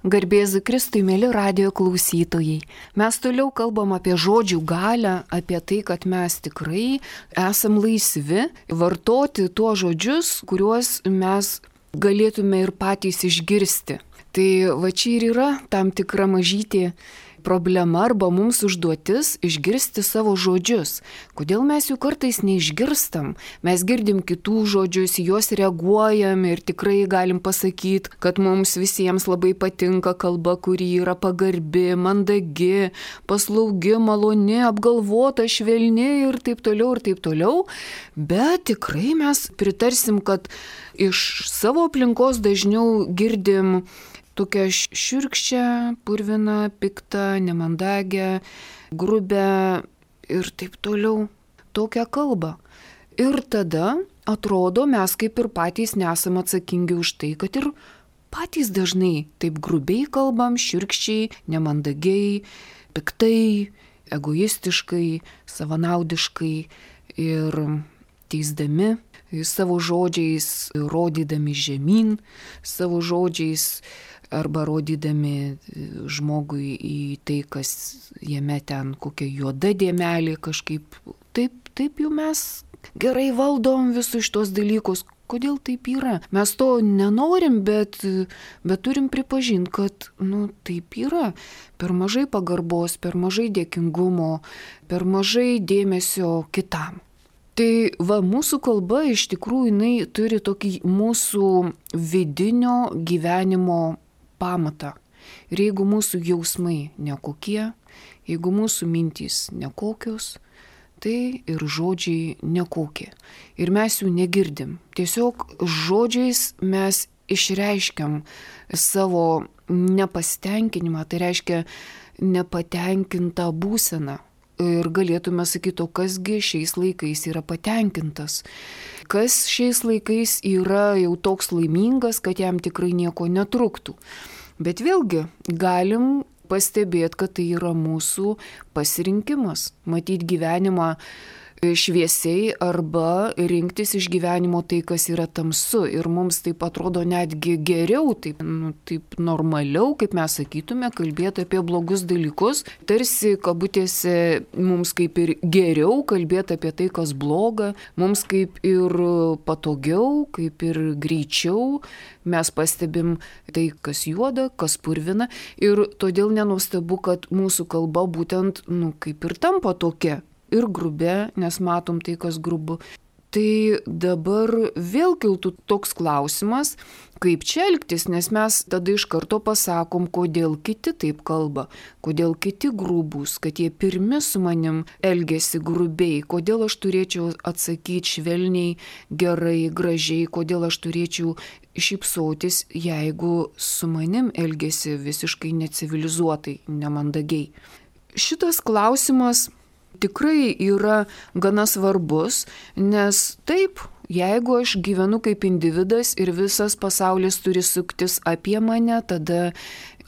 Garbėzu Kristui, mėly radijo klausytojai. Mes toliau kalbam apie žodžių galią, apie tai, kad mes tikrai esam laisvi vartoti tuos žodžius, kuriuos mes galėtume ir patys išgirsti. Tai va čia ir yra tam tikra mažytė problema arba mums užduotis išgirsti savo žodžius. Kodėl mes jų kartais neišgirstam? Mes girdim kitų žodžius, juos reaguojam ir tikrai galim pasakyti, kad mums visiems labai patinka kalba, kuri yra pagarbi, mandagi, paslaugi, maloni, apgalvota, švelni ir taip toliau ir taip toliau. Bet tikrai mes pritarsim, kad iš savo aplinkos dažniau girdim tokią šiurkščią, purviną, piktą, nemandagę, grubę ir taip toliau. Tokią kalbą. Ir tada atrodo, mes kaip ir patys nesam atsakingi už tai, kad ir patys dažnai taip grubiai kalbam, šiurkščiai, nemandagiai, piktai, egoistiškai, savanaudiškai ir teisdami savo žodžiais, rodydami žemyn, savo žodžiais arba rodydami žmogui į tai, kas jame ten kokia juoda dėmelė kažkaip. Taip jau mes gerai valdom visus šitos dalykus. Kodėl taip yra? Mes to nenorim, bet turim pripažinti, kad taip yra. Per mažai pagarbos, per mažai dėkingumo, per mažai dėmesio kitam. Tai va, mūsų kalba iš tikrųjų jinai turi tokį mūsų vidinio gyvenimo pamatą. Ir jeigu mūsų jausmai nekokie, jeigu mūsų mintys nekokios, tai ir žodžiai nekokie. Ir mes jų negirdim. Tiesiog žodžiais mes išreiškiam savo nepasitenkinimą, tai reiškia nepatenkintą būseną. Ir galėtume sakyti, o kasgi šiais laikais yra patenkintas. Kas šiais laikais yra jau toks laimingas, kad jam tikrai nieko netruktų. Bet vėlgi galim pastebėti, kad tai yra mūsų pasirinkimas. Matyti gyvenimą šviesiai arba rinktis iš gyvenimo tai, kas yra tamsu. Ir mums taip atrodo netgi geriau, taip normaliau, kaip mes sakytume, kalbėti apie blogus dalykus. Tarsi kabutėse mums kaip ir geriau kalbėti apie tai, kas bloga, mums kaip ir patogiau, kaip ir greičiau. Mes pastebim tai, kas juoda, kas purvina. Ir todėl nenuostabu, kad mūsų kalba būtent kaip ir tampa tokia. Ir grubė, nes matom tai, kas grubu. Tai dabar vėl kiltų toks klausimas, kaip čia elgtis, nes mes tada iš karto pasakom, kodėl kiti taip kalba, kodėl kiti grubūs, kad jie pirmi su manim elgesi grubiai, kodėl aš turėčiau atsakyti švelniai, gerai, gražiai, kodėl aš turėčiau šypsotis, jeigu su manim elgesi visiškai necivilizuotai, nemandagiai. Šitas klausimas tikrai yra gana svarbus, nes taip, jeigu aš gyvenu kaip individas ir visas pasaulis turi suktis apie mane, tada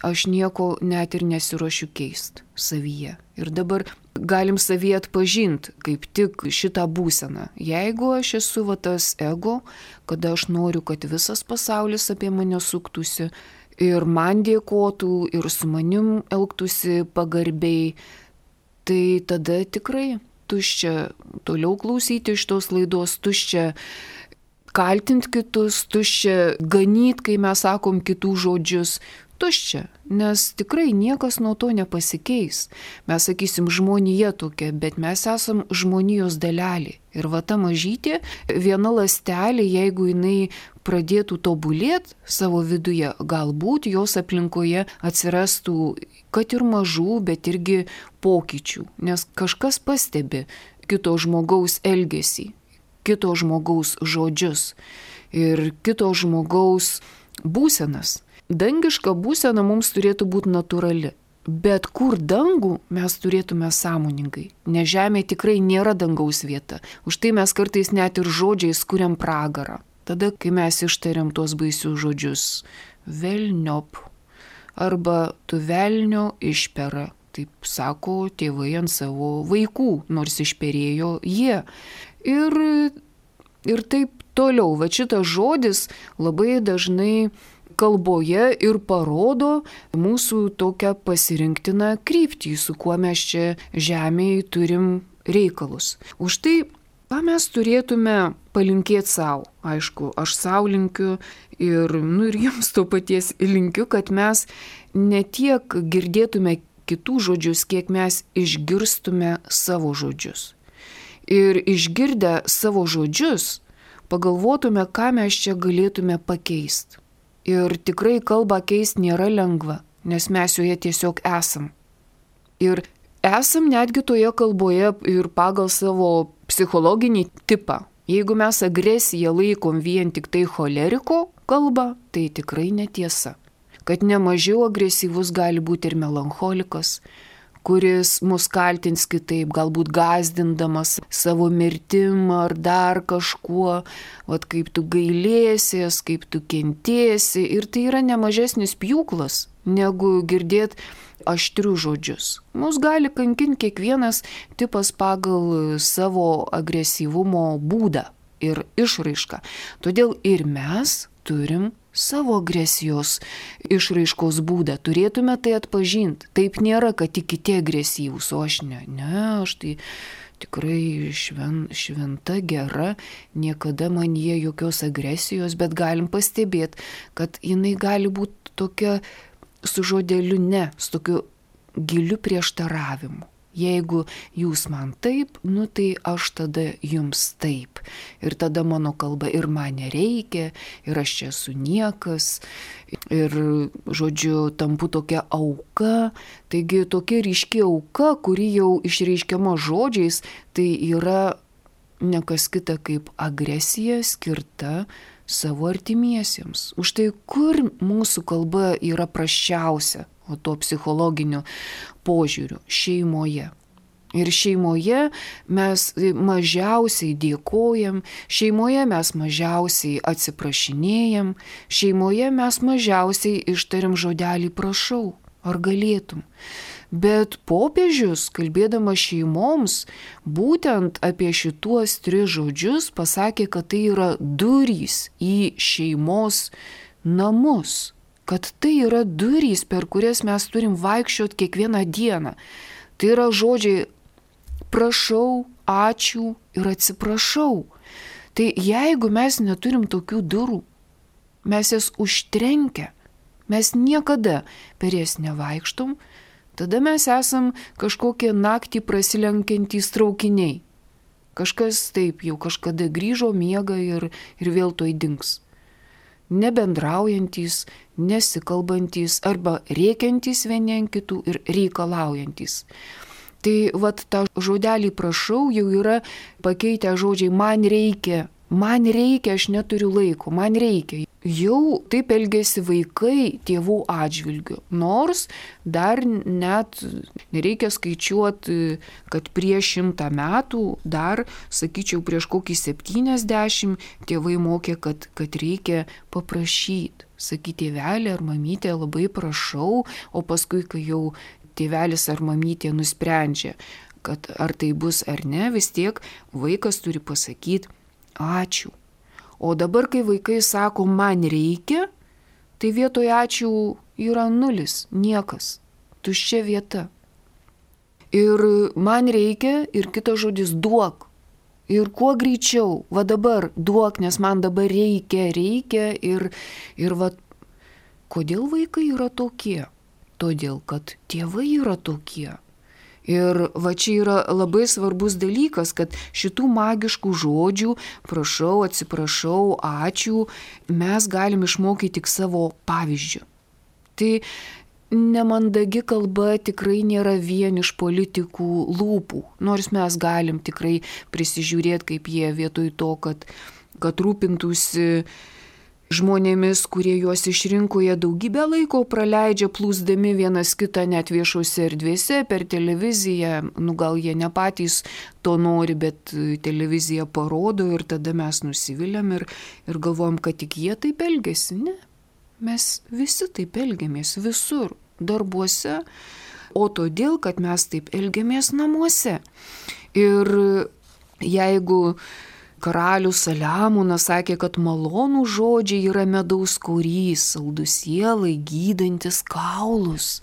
aš nieko net ir nesiruošiu keisti savyje. Ir dabar galim savyje atpažinti kaip tik šitą būseną. Jeigu aš esu tas ego, kada aš noriu, kad visas pasaulis apie mane suktųsi ir man dėkotų ir su manim elgtųsi pagarbiai, tai tada tikrai tuščia toliau klausyti šitos laidos, tuščia kaltinti kitus, tuščia ganyti, kai mes sakom kitų žodžius. Tuščia, nes tikrai niekas nuo to nepasikeis. Mes sakysim, žmonija tokia, bet mes esam žmonijos dalelė. Ir va ta mažytė, viena ląstelė, jeigu jinai pradėtų tobulėti savo viduje, galbūt jos aplinkoje atsirastų, kad ir mažų, bet irgi pokyčių. Nes kažkas pastebi kito žmogaus elgesį, kito žmogaus žodžius ir kito žmogaus būsenas. Dangiška būsena mums turėtų būti natūrali, bet kur dangų mes turėtume sąmoningai, nes žemė tikrai nėra dangaus vieta. Už tai mes kartais net ir žodžiais kuriam pragarą. Tada, kai mes ištariam tuos baisius žodžius, velniop, arba tu velnio išpera, taip sako tėvai ant savo vaikų, nors išperėjo jie. Ir taip toliau, va šitas žodis labai dažnai kalboje ir parodo mūsų tokią pasirinktiną kryptį, su kuo mes čia žemėje turim reikalus. Už tai, ką mes turėtume palinkėti savo. Aišku, aš savo linkiu ir jums to paties linkiu, kad mes ne tiek girdėtume kitų žodžius, kiek mes išgirstume savo žodžius. Ir išgirdę savo žodžius, pagalvotume, ką mes čia galėtume pakeisti. Ir tikrai kalbą keisti nėra lengva, nes mes joje tiesiog esam. Ir esam netgi toje kalboje ir pagal savo psichologinį tipą. Jeigu mes agresiją laikom vien tik tai choleriko kalbą, tai tikrai netiesa. Kad nemažiau agresyvus gali būti ir melancholikas, kuris mus kaltins kitaip, galbūt gąsdindamas savo mirtim ar dar kažkuo, kaip tu gailėsies, kaip tu kentėsi. Ir tai yra nemažesnis pjūklas, negu girdėti aštrius žodžius. Mus gali kankinti kiekvienas tipas pagal savo agresyvumo būdą ir išraišką. Todėl ir mes turim savo agresijos išraiškos būdą. Turėtume tai atpažinti. Taip nėra, kad tik kiti agresyvūs, o aš ne. Ne, aš tai tikrai šventa, gera, niekada man jie jokios agresijos, bet galim pastebėti, kad jinai gali būti tokia su žodeliu ne, su tokiu giliu prieštaravimu. Jeigu jūs man taip, tai aš tada jums taip. Ir tada mano kalba ir man nereikia, ir aš čia esu niekas, ir, žodžiu, tampu tokia auka. Taigi tokia ryški auka, kuri jau išreiškiama žodžiais, tai yra nekas kita kaip agresija skirta savo artimiesiems. Už tai, kur mūsų kalba yra prasčiausia, o to psichologiniu požiūriu - šeimoje. Ir šeimoje mes mažiausiai dėkojam, šeimoje mes mažiausiai atsiprašinėjam, šeimoje mes mažiausiai ištariam žodelį prašau, ar galėtum. Bet popiežius, kalbėdamas šeimoms, būtent apie šituos 3 žodžius pasakė, kad tai yra durys į šeimos namus. Kad tai yra durys, per kurias mes turim vaikščioti kiekvieną dieną. Tai yra žodžiai prašau, ačiū ir atsiprašau. Tai jeigu mes neturim tokių durų, mes jas užtrenkę, mes niekada per jas nevaikštom, tada mes esam kažkokie naktį prasilenkiantys traukiniai. Kažkas taip jau kažkada grįžo, miega ir vėl toj dings. Nebendraujantys, nesikalbantys arba rėkiantys vieni ant kitų ir reikalaujantys. Tai tą žodelį prašau jau yra pakeitę žodžiai man reikia, aš neturiu laiko, man reikia. Jau taip elgėsi vaikai tėvų atžvilgiu. Nors dar net nereikia skaičiuoti, kad prieš 100 metų, dar, sakyčiau, prieš kokį 70 tėvai mokė, kad reikia paprašyti. Sakyti, tėvelė ar mamytė, labai prašau, o paskui, kai jau tėvelis ar mamytė nusprendžia, kad ar tai bus ar ne, vis tiek vaikas turi pasakyti ačiū. O dabar, kai vaikai sako, man reikia, tai vietoje ačiū yra 0, niekas, tuščia vieta. Ir man reikia, ir kitas žodis duok. Ir kuo greičiau, dabar duok, nes man dabar reikia. Ir kodėl vaikai yra tokie? Todėl, kad tėvai yra tokie. Ir čia yra labai svarbus dalykas, kad šitų magiškų žodžių, prašau, atsiprašau, ačiū, mes galim išmokyti tik savo pavyzdžių. Tai nemandagi kalba tikrai nėra vien iš politikų lūpų, nors mes galim tikrai prisižiūrėti, kaip jie vietoj to, kad rūpintųsi žmonėmis, kurie juos išrinko, jie daugybę laiko praleidžia plūsdami vienas kitą net viešose erdvėse per televiziją. Gal jie ne patys to nori, bet televizija parodo ir tada mes nusiviliam ir galvojam, kad tik jie taip elgiasi. Ne, mes visi taip elgiamės visur, darbuose, o todėl, kad mes taip elgiamės namuose. Ir jeigu karalius Saliamonas sakė, kad malonų žodžiai yra medaus korys, saldus sielai, gydantis kaulus.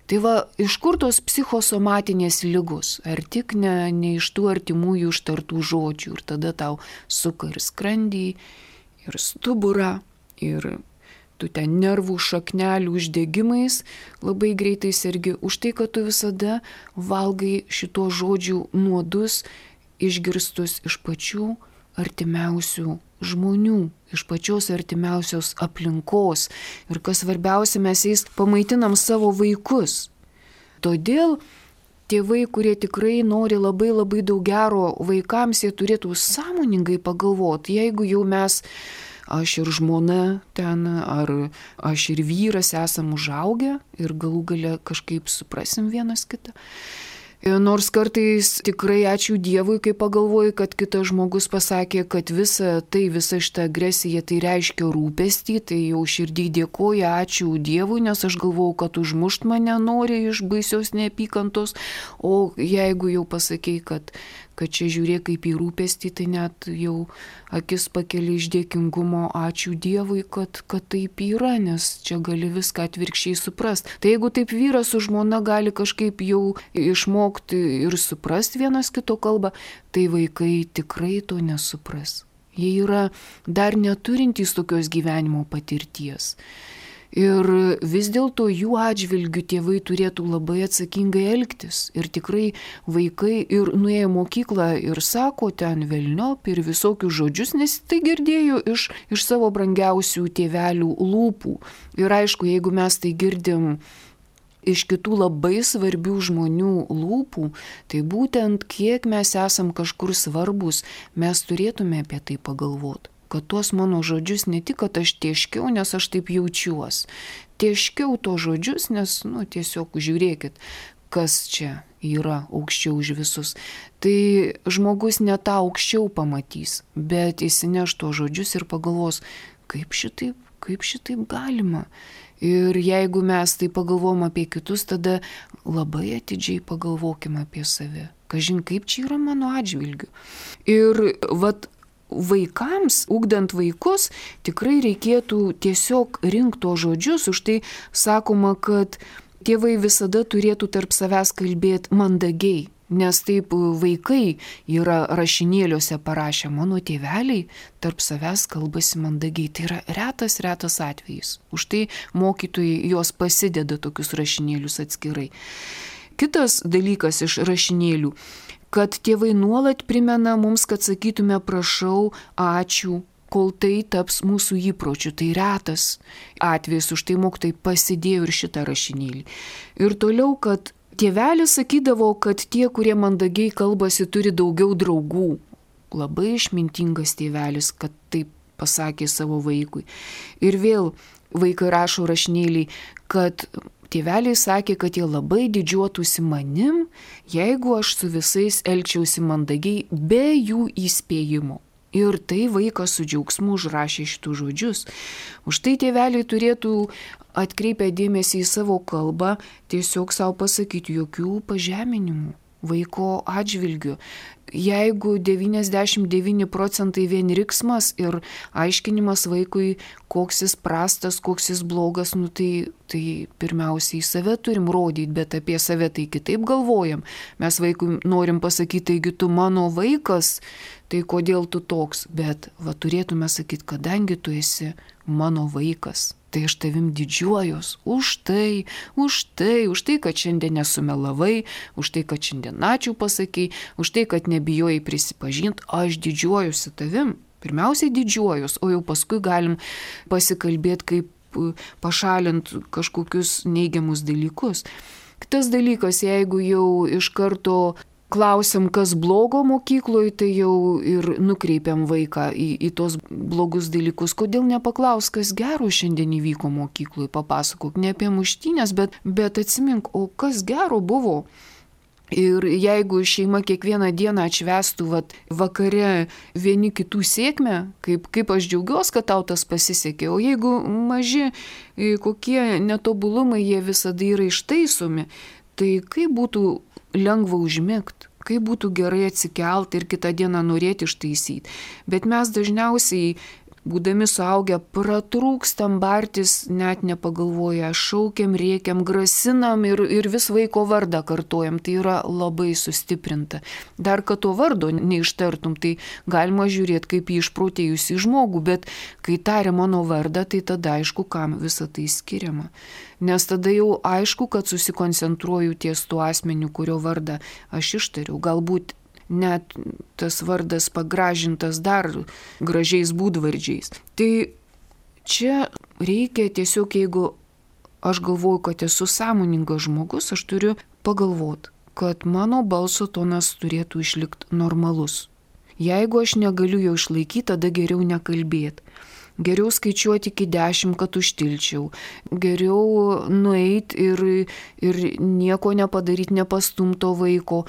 Tai va, iš kur tos psichosomatinės ligos? Ar tik ne iš tų artimųjų ištartų žodžių? Ir tada tau suka ir skrandį, ir stuburą, ir tu ten nervų šaknelių uždegimais labai greitai sergi už tai, kad tu visada valgai šito žodžių nuodus išgirstus iš pačių artimiausių žmonių, iš pačios artimiausios aplinkos. Ir kas svarbiausia, mes jais pamaitinam savo vaikus. Todėl tėvai, kurie tikrai nori labai labai daug gero vaikams, jie turėtų sąmoningai pagalvoti, jeigu jau mes, aš ir žmona ten, ar aš ir vyras esam užaugę ir galų gale kažkaip suprasim vienas kitą. Nors kartais tikrai ačiū Dievui, kai pagalvoju, kad kitas žmogus pasakė, kad visa šita agresija tai reiškia rūpestį, tai jau širdį dėkoju, ačiū Dievui, nes aš galvojau, kad užmušt mane nori iš baisios neapykantos, o jeigu jau pasakei, kad čia žiūrėk kaip į rūpestį, tai net jau akis pakeli iš dėkingumo, ačiū Dievui, kad taip yra, nes čia gali viską atvirkščiai suprast. Tai jeigu taip vyras su žmona gali kažkaip jau išmokti ir suprast vienas kito kalbą, tai vaikai tikrai to nesupras. Jie yra dar neturintys tokios gyvenimo patirties. Ir vis dėlto jų atžvilgių tėvai turėtų labai atsakingai elgtis. Ir tikrai vaikai ir nuėjo mokyklą ir sako ten velniop ir visokius žodžius, nes tai girdėjo iš savo brangiausių tėvelių lūpų. Ir aišku, jeigu mes tai girdim iš kitų labai svarbių žmonių lūpų, tai būtent kiek mes esam kažkur svarbus, mes turėtume apie tai pagalvoti. Kad tuos mano žodžius ne tik, kad aš tieškiau, nes aš taip jaučiuos. Tieškiau to žodžius, nes, tiesiog žiūrėkit, kas čia yra aukščiau už visus. Tai žmogus ne tą aukščiau pamatys, bet įsineš to žodžius ir pagalvos, kaip šitaip galima. Ir jeigu mes tai pagalvom apie kitus, tada labai atidžiai pagalvokim apie save. Kažin, kaip čia yra mano atžvilgiu. Ir vaikams, ugdant vaikus, tikrai reikėtų tiesiog rinkti to žodžius, už tai sakoma, kad tėvai visada turėtų tarp savęs kalbėti mandagiai, nes taip vaikai yra rašinėliuose parašę, mano tėveliai tarp savęs kalbasi mandagiai. Tai yra retas atvejis. Už tai mokytojai jos pasideda tokius rašinėlius atskirai. Kitas dalykas iš rašinėlių, kad tėvai nuolat primena mums, kad sakytume prašau, ačiū, kol tai taps mūsų įpročiu. Tai retas atvejis, už tai mokytojai pasidėjo ir šitą rašinėlį. Ir toliau, kad tėvelis sakydavo, kad tie, kurie mandagiai kalbasi, turi daugiau draugų. Labai išmintingas tėvelis, kad taip pasakė savo vaikui. Ir vėl vaikai rašo rašinėlį, kad tėveliai sakė, kad jie labai didžiuotųsi manim, jeigu aš su visais elgčiausi mandagiai be jų įspėjimo. Ir tai vaikas su džiaugsmu užrašė šitų žodžius. Už tai tėveliai turėtų atkreipę dėmesį į savo kalbą, tiesiog savo pasakyti jokių pažeminimų vaiko atžvilgių. Jeigu 99% vien riksmas ir aiškinimas vaikui, koks jis prastas, koks jis blogas, tai pirmiausiai save turim rodyti, bet apie save tai kitaip galvojam. Mes vaikui norim pasakyti, taigi tu mano vaikas, tai kodėl tu toks, bet turėtume sakyti, kadangi tu esi mano vaikas. Tai aš tavim didžiuojos už tai, kad šiandien nesumelavai, už tai, kad šiandien ačiū pasakei, už tai, kad nebijojai prisipažinti, aš didžiuojuosi tavim. Pirmiausiai didžiuojos, o jau paskui galim pasikalbėti, kaip pašalinti kažkokius neigiamus dalykus. Kitas dalykas, jeigu jau iš karto klausiam, kas blogo mokykloje, tai jau ir nukreipiam vaiką į tos blogus dalykus. Kodėl nepaklaus, kas gero šiandien įvyko mokykloje, papasakok, ne apie muštynės, bet atsimink, o kas gero buvo. Ir jeigu šeima kiekvieną dieną atšvestų vakare vieni kitų sėkmę, kaip aš džiaugiuosi, kad tau tas pasisekė, o jeigu maži kokie netobulumai, jie visada yra ištaisomi, tai kaip būtų lengva užmigti, kaip būtų gerai atsikelti ir kitą dieną norėti ištaisyti. Bet mes dažniausiai, būdami suaugę, pratrūkstam bartis, net nepagalvoję, šaukiam, rėkiam, grasinam ir vis vaiko vardą kartojam. Tai yra labai sustiprinta. Dar kad to vardo neištartum, tai galima žiūrėti kaip į išprotėjusį žmogų, bet kai taria mano vardą, tai tada aišku, kam visą tai skiriama. Nes tada jau aišku, kad susikoncentruoju ties tuo asmeniu, kurio vardą aš ištariu. Galbūt net tas vardas pagražintas dar gražiais būdvardžiais. Tai čia reikia tiesiog, jeigu aš galvoju, kad esu sąmoningas žmogus, aš turiu pagalvoti, kad mano balso tonas turėtų išlikti normalus. Jeigu aš negaliu jo išlaikyti, tada geriau nekalbėti. Geriau skaičiuoti iki 10, kad užtilčiau. Geriau nueiti ir nieko nepadaryti, nepastumto vaiko.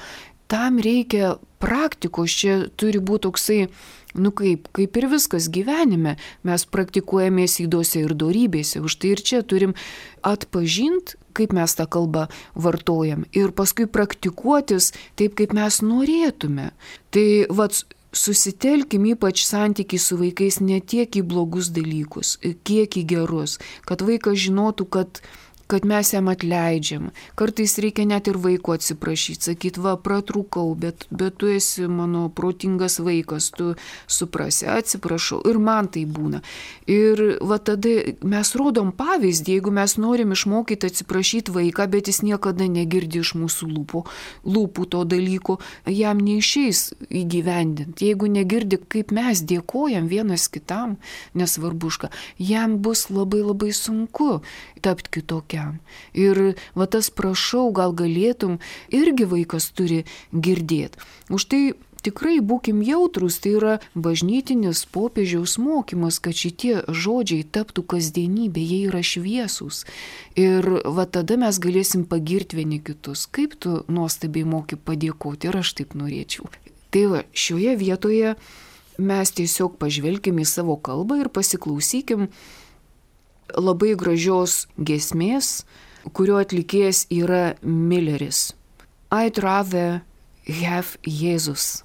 Tam reikia praktikos, čia turi būti toksai, kaip ir viskas gyvenime, mes praktikuojamės ydose ir dorybėse, už tai ir čia turim atpažinti, kaip mes tą kalbą vartojam ir paskui praktikuotis taip, kaip mes norėtume. Tai susitelkim ypač santykiai su vaikais ne tiek į blogus dalykus, kiek į gerus, kad vaikas žinotų, kad mes jam atleidžiam. Kartais reikia net ir vaiko atsiprašyti, sakyti, pratrūkau, bet tu esi mano protingas vaikas, tu suprasi, atsiprašau. Ir man tai būna. Ir tada mes rodom pavyzdį, jeigu mes norim išmokyti atsiprašyti vaiką, bet jis niekada negirdi iš mūsų lūpų to dalyko, jam neišeis įgyvendinti. Jeigu negirdi, kaip mes dėkojam vienas kitam, nesvarbu už ką, jam bus labai labai sunku tapti kitokiam. Ir tas prašau, gal galėtum, irgi vaikas turi girdėti. Už tai tikrai būkim jautrus, tai yra bažnytinis popiežiaus mokymas, kad šitie žodžiai taptų kasdienybė, jie yra šviesūs. Ir tada mes galėsim pagirti vieni kitus. Kaip tu nuostabiai moki padėkoti, ir aš taip norėčiau. Tai šioje vietoje mes tiesiog pažvelkim į savo kalbą ir pasiklausykim labai gražios giesmės, kurio atlikėjas yra Milleris. I'd rather have Jesus.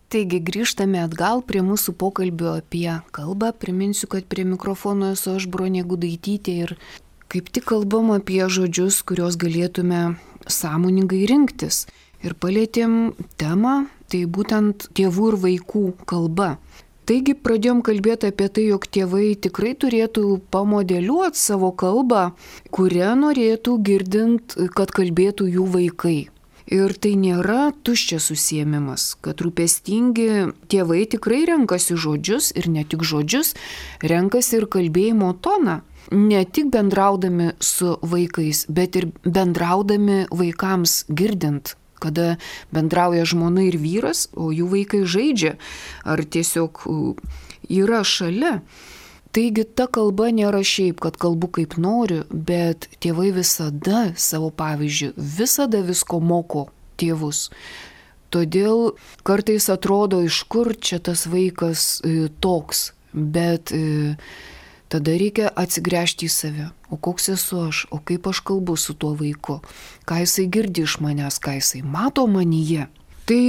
Taigi grįžtame atgal prie mūsų pokalbio apie kalbą. Priminsiu, kad prie mikrofono esu aš, Bronė Gudaitytė, ir kaip tik kalbam apie žodžius, kuriuos galėtume sąmoningai rinktis. Ir palėtėm temą, tai būtent tėvų ir vaikų kalba. Taigi pradėjom kalbėti apie tai, jog tėvai tikrai turėtų pamodeliuoti savo kalbą, kurią norėtų girdint, kad kalbėtų jų vaikai. Ir tai nėra tuščias užsiėmimas, kad rūpestingi tėvai tikrai renkasi žodžius ir ne tik žodžius, renkasi ir kalbėjimo toną. Ne tik bendraudami su vaikais, bet ir bendraudami vaikams girdint, kada bendrauja žmona ir vyras, o jų vaikai žaidžia ar tiesiog yra šalia. Taigi ta kalba nėra šiaip, kad kalbu kaip noriu, bet tėvai visada savo pavyzdžiu, visada visko moko tėvus. Todėl kartais atrodo, iš kur čia tas vaikas toks, bet tada reikia atsigręžti į save. O koks esu aš, o kaip aš kalbu su tuo vaiku, ką jisai girdi iš manęs, ką jisai mato manyje. Tai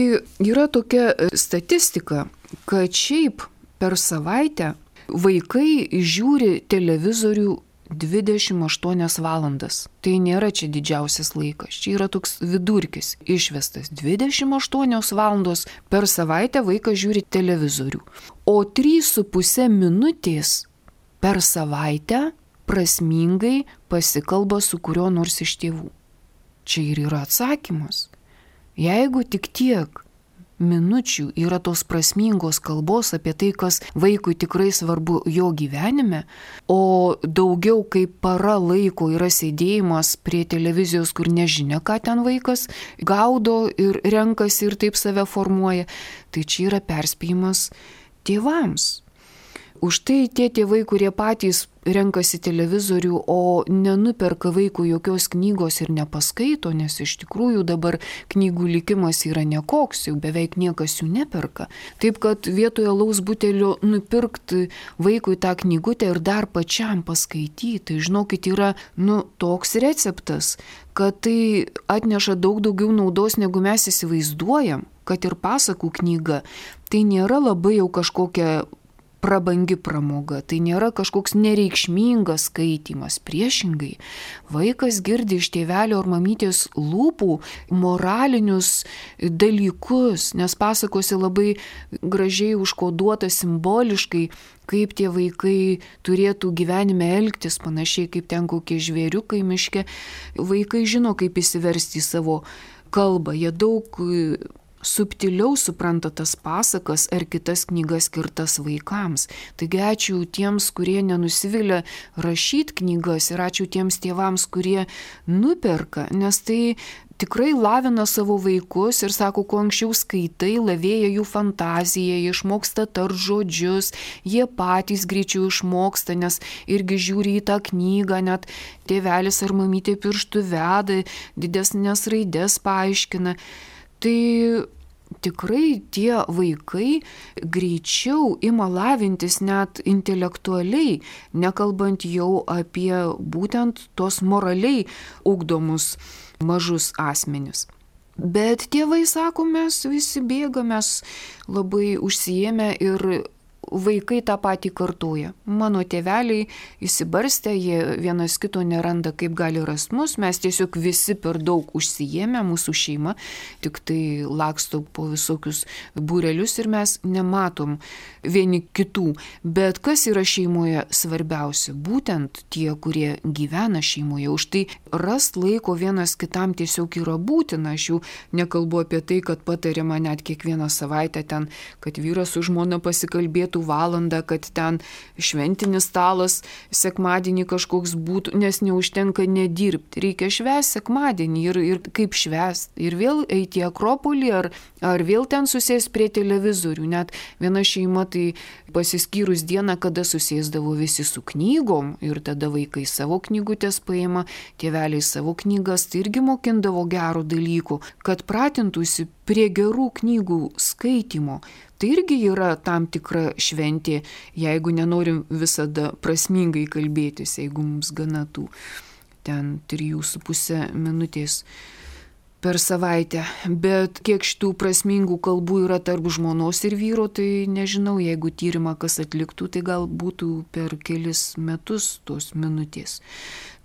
yra tokia statistika, kad šiaip per savaitę vaikai žiūri televizorių 28 valandas. Tai nėra čia didžiausias laikas, čia yra toks vidurkis išvestas. 28 valandos per savaitę vaikas žiūri televizorių, o 3,5 minutės per savaitę prasmingai pasikalba su kuriuo nors iš tėvų. Čia ir yra atsakymas. Jeigu tik tiek minučių yra tos prasmingos kalbos apie tai, kas vaikui tikrai svarbu jo gyvenime, o daugiau kaip para laiko yra sėdėjimas prie televizijos, kur nežinia, ką ten vaikas gaudo ir renkasi ir taip save formuoja, tai čia yra perspėjimas tėvams. Už tai tie tėvai, kurie patys renkasi televizorių, o nenuperka vaikų jokios knygos ir nepaskaito, nes iš tikrųjų dabar knygų likimas yra nekoks, jau beveik niekas jų neperka. Taip, kad vietoje alaus butelio nupirkti vaikui tą knygutę ir dar pačiam paskaityti, tai žinokit, yra toks receptas, kad tai atneša daug daugiau naudos, negu mes įsivaizduojam, kad ir pasakų knyga. Tai nėra labai jau kažkokia prabangi pramoga, tai nėra kažkoks nereikšmingas skaitymas, priešingai. Vaikas girdi iš tėvelio ar mamytės lūpų moralinius dalykus, nes pasakose labai gražiai užkoduota simboliškai, kaip tie vaikai turėtų gyvenime elgtis, panašiai kaip ten kokie žvėriukai miške. Vaikai žino, kaip įsiversti į savo kalbą, jie daug subtiliau supranta tas pasakas ar kitas knygas skirtas vaikams. Taigi ačiū tiems, kurie nenusivilia rašyti knygas ir ačiū tiems tėvams, kurie nuperka, nes tai tikrai lavina savo vaikus ir sako, kuo anksčiau skaitai, lavėja jų fantazija, jie išmoksta tart žodžius, jie patys greičiau išmoksta, nes irgi žiūri į tą knygą, net tėvelis ar mamytė pirštų veda, didesnės raidės paaiškina. Tai tikrai tie vaikai greičiau ima lavintis net intelektualiai, nekalbant jau apie būtent tos moraliai ugdomus mažus asmenis. Bet tėvai sako, mes visi bėgame, mes labai užsiėmę ir vaikai tą patį kartoja. Mano tėveliai įsibarstę, jie vienas kito neranda, kaip gali rast mus, mes tiesiog visi per daug užsiėmę, mūsų šeima tik tai laksto po visokius būrelius ir mes nematom vieni kitų. Bet kas yra šeimoje svarbiausia? Būtent tie, kurie gyvena šeimoje. Už tai rast laiko vienas kitam tiesiog yra būtina. Aš jau nekalbu apie tai, kad patariama net kiekvieną savaitę ten, kad vyras su žmona pasikalbėtų valandą, kad ten šventinis stalas sekmadienį kažkoks būtų, nes neužtenka nedirbti. Reikia švęsti sekmadienį ir kaip švęsti. Ir vėl eiti į Akropolį ar vėl ten susės prie televizorių. Net viena šeima tai pasiskyrus dieną, kada susėsdavo visi su knygom ir tada vaikai savo knygutės paima, tėveliai savo knygas, tai irgi mokindavo gerų dalykų, kad pratintųsi prie gerų knygų skaitymo. Tai irgi yra tam tikra šventė, jeigu nenorim visada prasmingai kalbėtis, jeigu mums gana tų ten 3,5 minutės. per savaitę, bet kiek šitų prasmingų kalbų yra tarp žmonos ir vyro, tai nežinau, jeigu tyrimą kas atliktų, tai gal būtų per kelis metus tos minutės.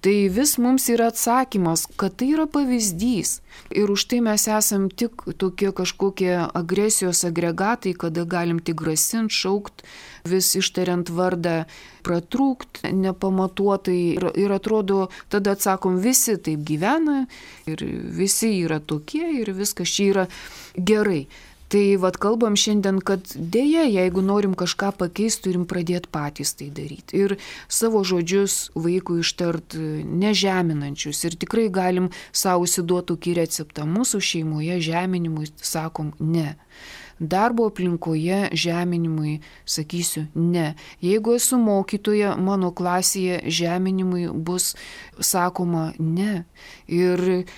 Tai vis mums yra atsakymas, kad tai yra pavyzdys. Ir už tai mes esam tik tokie kažkokie agresijos agregatai, kada galim tik grasinti, šaukti, vis ištariant vardą, pratrūkti nepamatuotai. Ir atrodo, tada atsakom, visi taip gyvena ir visi yra tokie ir viskas čia yra gerai. Tai kalbam šiandien, kad dėja, jeigu norim kažką pakeisti, turim pradėti patys tai daryti. Ir savo žodžius vaikui ištart nežeminančius. Ir tikrai galim savo įsiduoti tokį receptą. Mūsų šeimoje žeminimui sakom ne. Darbo aplinkoje žeminimui sakysiu ne. Jeigu esu mokytoja, mano klasėje žeminimui bus sakoma ne. Ir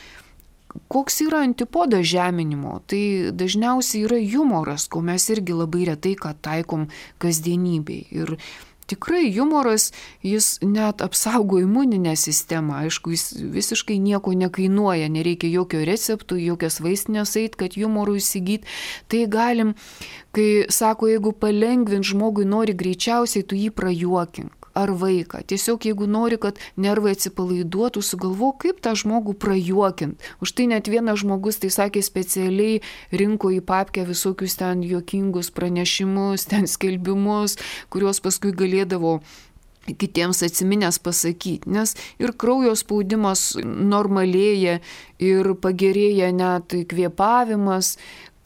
koks yra antipodas žeminimo? Tai dažniausiai yra humoras, ko mes irgi labai retai ką taikom kasdienybėj. Ir tikrai humoras, jis net apsaugo imuninę sistemą. Aišku, jis visiškai nieko nekainuoja, nereikia jokio receptų, jokios vaistinės eit, kad humorų įsigyti. Tai galim, kai sako, jeigu palengvint žmogui nori greičiausiai, tu jį prajuokink. Ar vaiką. Tiesiog jeigu nori, kad nervai atsipalaiduotų, sugalvok, kaip tą žmogų prajuokint. Už tai net vienas žmogus, tai sakė, specialiai rinko į papkę visokius ten juokingus pranešimus, ten skelbimus, kuriuos paskui galėdavo kitiems atsiminęs pasakyti, nes ir kraujo spaudimas normalėja ir pagerėja net kvėpavimas,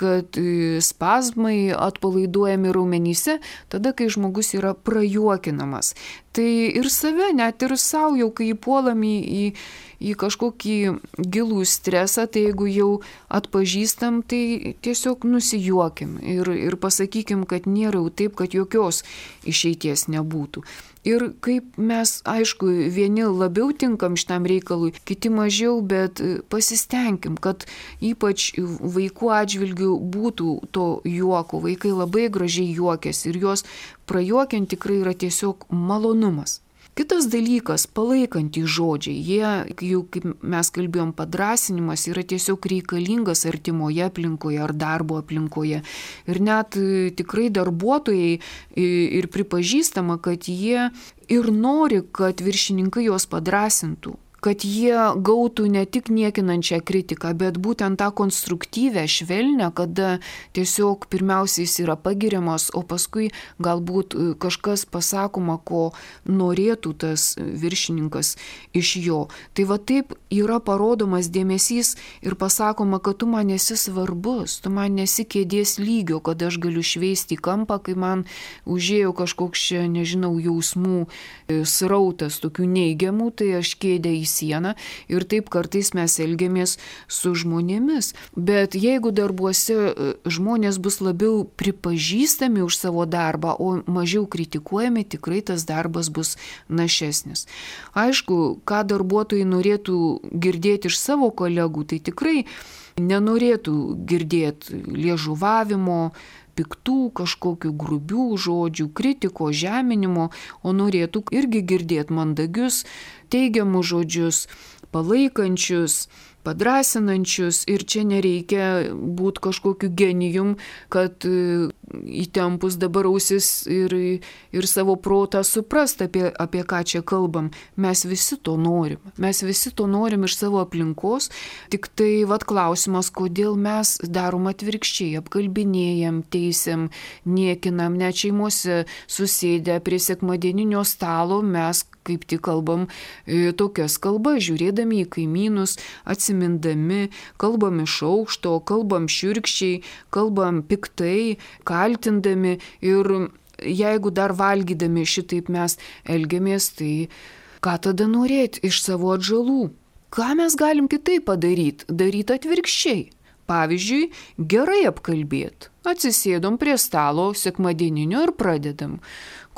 kad spazmai atpalaiduojami raumenyse, tada, kai žmogus yra prajuokinamas. Tai ir save, net ir savo, jau kai įpuolam į kažkokį gilų stresą, tai jeigu jau atpažįstam, tai tiesiog nusijuokim ir pasakykim, kad nėra jau taip, kad jokios išeities nebūtų. Ir kaip mes, aišku, vieni labiau tinkam šitam reikalui, kiti mažiau, bet pasistengim, kad ypač vaikų atžvilgių būtų to juoko. Vaikai labai gražiai juokiasi ir juos prajuokiant tikrai yra tiesiog malonumas. Kitas dalykas, palaikantys žodžiai, jie, jau kaip mes kalbėjom, padrąsinimas yra tiesiog reikalingas artimoje aplinkoje ar darbo aplinkoje. Ir net tikrai darbuotojai ir pripažįstama, kad jie ir nori, kad viršininkai juos padrąsintų. Kad jie gautų ne tik niekinančią kritiką, bet būtent tą konstruktyvę, švelnę, kada tiesiog pirmiausiai jis yra pagiriamas, o paskui galbūt kažkas pasakoma, ko norėtų tas viršininkas iš jo. Tai va taip yra parodomas dėmesys ir pasakoma, kad tu man esi svarbus, tu man nesi kėdės lygio, kad aš galiu šveisti į kampą, kai man užėjo kažkoks čia, nežinau, jausmų srautas tokių neigiamų, tai aš kėdę į sieną ir taip kartais mes elgiamės su žmonėmis. Bet jeigu darbuose žmonės bus labiau pripažįstami už savo darbą, o mažiau kritikuojami, tikrai tas darbas bus našesnis. Aišku, ką darbuotojai norėtų girdėti iš savo kolegų, tai tikrai nenorėtų girdėti liežuvavimo, piktų kažkokių grubių žodžių, kritiko, žeminimo, o norėtų irgi girdėti mandagius, teigiamus žodžius, palaikančius, padrąsinančius ir čia nereikia būti kažkokiu genijum, kad įtempus dabar ausis ir savo protą suprast, apie ką čia kalbam. Mes visi to norim. Mes visi to norim iš savo aplinkos, tik tai klausimas, kodėl mes darom atvirkščiai, apkalbinėjam, teisiam, niekinam, net šeimose susėdę prie sekmadieninio stalo mes kaip tik kalbam tokias kalbas, žiūrėdami į kaimynus, atsimindami, kalbam iš aukšto, kalbam šiurkščiai, kalbam piktai, kaltindami ir jeigu dar valgydami šitaip mes elgiamės, tai ką tada norėti iš savo atžalų? Ką mes galim kitaip padaryti? Daryti atvirkščiai. Pavyzdžiui, gerai apkalbėti. Atsisėdom prie stalo sekmadieninio ir pradedam.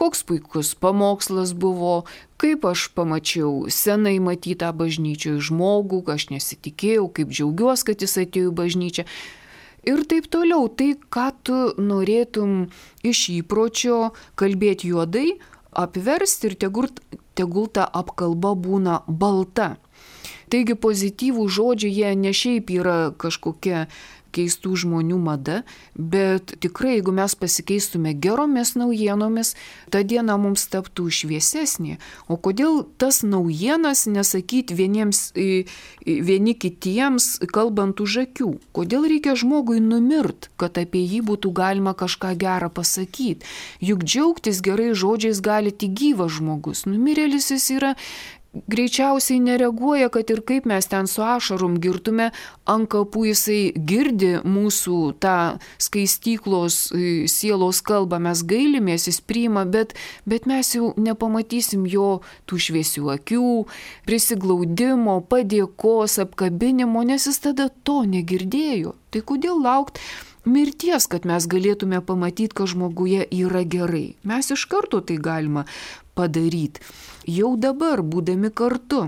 Koks puikus pamokslas buvo, kaip aš pamačiau senai matytą bažnyčioje žmogų, aš nesitikėjau, kaip džiaugiuosi, kad jis atėjo į bažnyčią. Ir taip toliau, tai ką tu norėtum iš įpročio kalbėti juodai, apversti ir tegul ta apkalba būna balta. Taigi pozityvų žodžiai jie ne šiaip yra kažkokia keistų žmonių mada, bet tikrai, jeigu mes pasikeistume geromis naujienomis, ta diena mums taptų šviesesnė. O kodėl tas naujienas nesakyti vieni kitiems, kalbant už akių? Kodėl reikia žmogui numirt, kad apie jį būtų galima kažką gerą pasakyti? Juk džiaugtis gerai žodžiais gali tik gyvas žmogus. Numirėlis jis yra greičiausiai nereaguoja, kad ir kaip mes ten su ašarom girtume, ant kapų jisai girdi mūsų tą skaistyklos sielos kalbą, mes gailimės, jis priima, bet mes jau nepamatysim jo tų šviesių akių, prisiglaudimo, padėkos, apkabinimo, nes jis tada to negirdėjo. Tai kodėl laukti mirties, kad mes galėtume pamatyti, kad žmoguje yra gerai? Mes iš karto tai galima padaryti. Jau dabar, būdami kartu.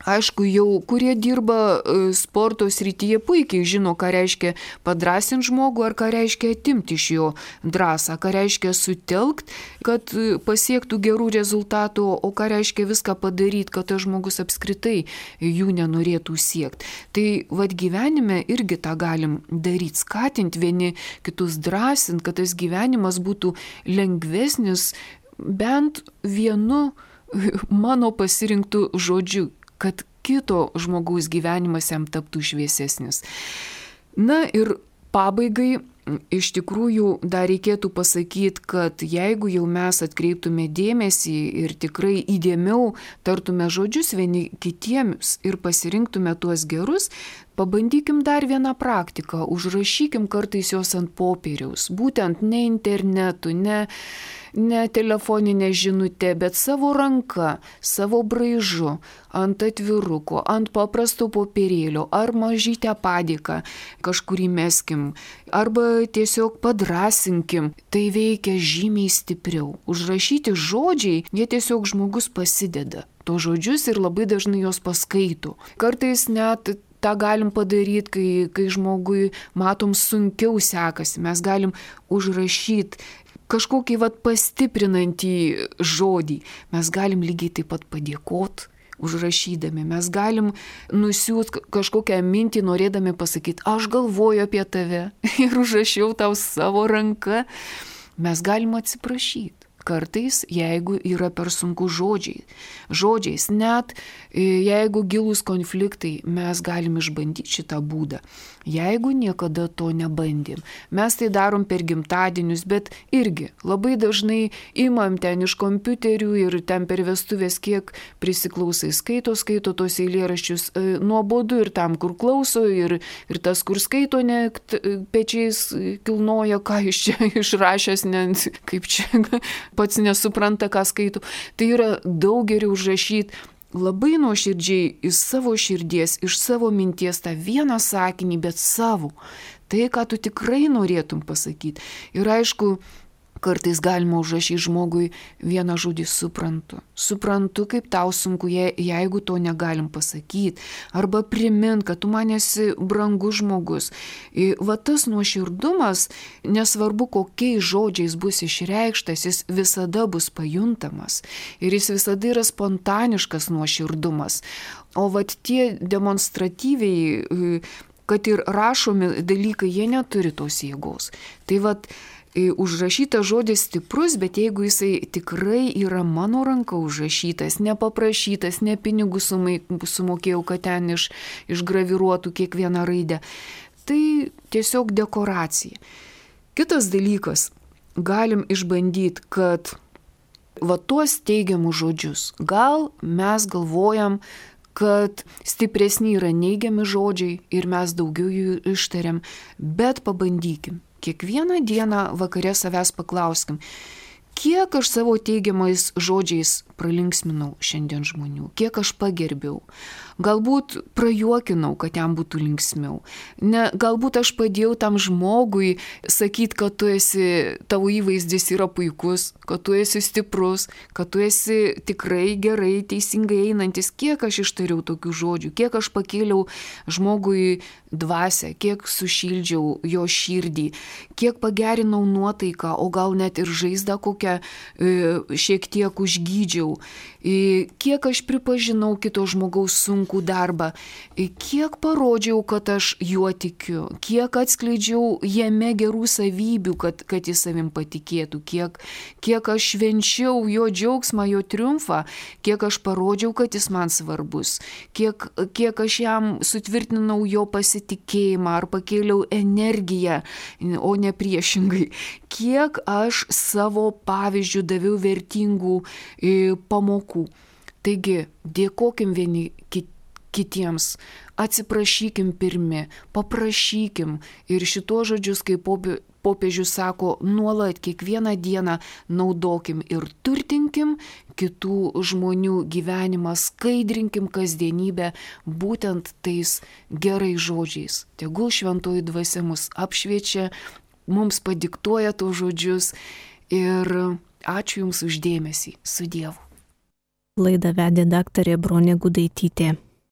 Aišku, jau kurie dirba sporto srityje puikiai žino, ką reiškia padrąsinti žmogų, ar ką reiškia atimti iš jo drąsą, ką reiškia sutelkti, kad pasiektų gerų rezultatų, o ką reiškia viską padaryti, kad tas žmogus apskritai jų nenorėtų siekti. Tai vad gyvenime irgi tą galim daryti, skatinti vieni kitus, drąsinti, kad tas gyvenimas būtų lengvesnis bent vienu mano pasirinktų žodžiu, kad kito žmogaus gyvenimas jam taptų šviesesnis. Na ir pabaigai iš tikrųjų dar reikėtų pasakyti, kad jeigu jau mes atkreiptume dėmesį ir tikrai įdėmiau tartume žodžius vieni kitiems ir pasirinktume tuos gerus, pabandykim dar vieną praktiką, užrašykim kartais jos ant popieriaus, būtent ne internetu, ne telefoninė žinutė, bet savo ranka, savo braižu, ant atviruko, ant paprasto popierėlio, ar mažytę padėką kažkurį meskim, arba tiesiog padrąsinkim. Tai veikia žymiai stipriau. Užrašyti žodžiai, jie tiesiog žmogus pasideda to žodžius ir labai dažnai jos paskaito. Kartais net tą galim padaryti, kai žmogui matom sunkiau sekasi. Mes galim užrašyti kažkokį pastiprinantį žodį. Mes galim lygiai taip pat padėkoti užrašydami. Mes galim nusiūt kažkokią mintį, norėdami pasakyti, aš galvoju apie tave ir užrašiau tau savo ranką. Mes galim atsiprašyti. Kartais, jeigu yra per sunku žodžiais, net jeigu gilūs konfliktai, mes galim išbandyti šitą būdą. Jeigu niekada to nebandėm, mes tai darom per gimtadienius, bet irgi labai dažnai imam ten iš kompiuterių ir ten per vestuvės kiek prisiklausai, skaito tos eilėraščius, nuobodu ir tam, kur klauso, ir tas, kur skaito, pečiais kilnoja, ką iš čia išrašęs, kaip čia pats nesupranta, ką skaito. Tai yra daug geriau užrašyti labai nuoširdžiai iš savo širdies, iš savo minties tą vieną sakinį, bet savo. Tai, ką tu tikrai norėtum pasakyti. Ir aišku, kartais galima užrašyti žmogui vieną žodį suprantu. Suprantu, kaip tau sunku, jeigu to negalim pasakyti. Arba primint, kad tu man esi brangus žmogus. Tas nuoširdumas, nesvarbu kokiais žodžiais bus išreikštas, jis visada bus pajuntamas. Ir jis visada yra spontaniškas nuoširdumas. O tie demonstratyviai, kad ir rašomi dalykai, jie neturi tos jėgos. Tai užrašytas žodis stiprus, bet jeigu jisai tikrai yra mano ranka užrašytas, nepaprašytas, ne pinigų sumokėjau, kad ten išgraviruotų kiekvieną raidę, tai tiesiog dekoracija. Kitas dalykas, galim išbandyti, kad tuos teigiamus žodžius, gal mes galvojam, kad stipresni yra neigiami žodžiai ir mes daugiau jų ištariam, bet pabandykim. Kiekvieną dieną vakare savęs paklauskim, kiek aš savo teigiamais žodžiais pralinksminau šiandien žmonių, kiek aš pagerbiau. Galbūt prajuokinau, kad jam būtų linksmiau. Galbūt aš padėjau tam žmogui sakyti, kad tavo įvaizdis yra puikus, kad tu esi stiprus, kad tu esi tikrai gerai, teisingai einantis. Kiek aš ištariau tokių žodžių, kiek aš pakėliau žmogui dvasią, kiek sušildžiau jo širdį, kiek pagerinau nuotaiką, o gal net ir žaizdą kokią šiek tiek užgydžiau, kiek aš pripažinau kito žmogaus sunkų darbą, kiek parodžiau, kad aš juo tikiu, kiek atskleidžiau jame gerų savybių, kad jis savim patikėtų, kiek aš švenčiau jo džiaugsmą, jo triumfą, kiek aš parodžiau, kad jis man svarbus, kiek aš jam sutvirtinau jo pasitikėjimą ar pakėliau energiją, o ne priešingai, kiek aš savo pavyzdžių daviau vertingų pamokų. Taigi, dėkokim vieni kitiems, atsiprašykim pirmi, paprašykim ir šitos žodžius, kaip popiežius sako, nuolat kiekvieną dieną naudokim ir turtinkim kitų žmonių gyvenimą, skaidrinkim kasdienybę būtent tais gerais žodžiais. Tegul šventoji dvasia mus apšviečia, mums padiktuoja tos žodžius ir ačiū Jums už dėmesį. Su Dievu. Laidą vedė daktarė Bronė Gudaitytė.